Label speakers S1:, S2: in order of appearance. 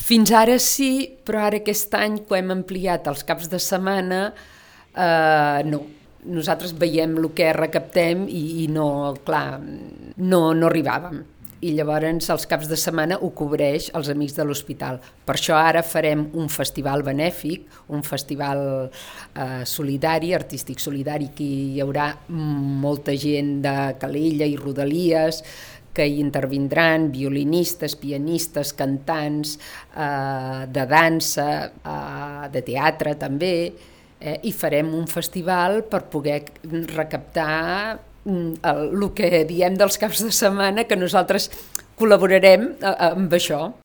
S1: Fins ara sí, però ara aquest any que hem ampliat els caps de setmana, no. Nosaltres veiem el que recaptem i no, clar, no arribàvem. I llavors els caps de setmana ho cobreix els Amics de l'Hospital. Per això ara farem un festival benèfic, un festival solidari, artístic solidari, que hi haurà molta gent de Calella i Rodalies, que hi intervindran violinistes, pianistes, cantants, de dansa, de teatre també, i farem un festival per poder recaptar el que diem dels caps de setmana, que nosaltres col·laborarem amb això.